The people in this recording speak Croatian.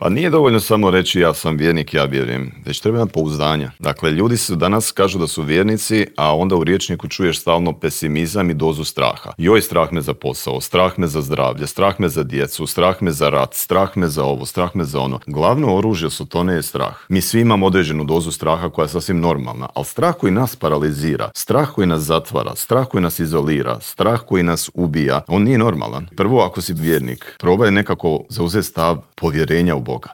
Pa nije dovoljno samo reći ja sam vjernik, ja vjerujem, već treba imati pouzdanja. Dakle, ljudi su danas kažu da su vjernici, a onda u rječniku čuješ stalno pesimizam i dozu straha. Joj, strah me za posao, strah me za zdravlje, strah me za djecu, strah me za rat, strah me za ovo, strah me za ono. Glavno oružje Sotone je strah. Mi svi imamo određenu dozu straha koja je sasvim normalna, ali strah koji nas paralizira, strah koji nas zatvara, strah koji nas izolira, strah koji nas ubija, on nije normalan. Prvo, ako si vjernik, probaj nekako zauzeti stav povjerenja u Boga.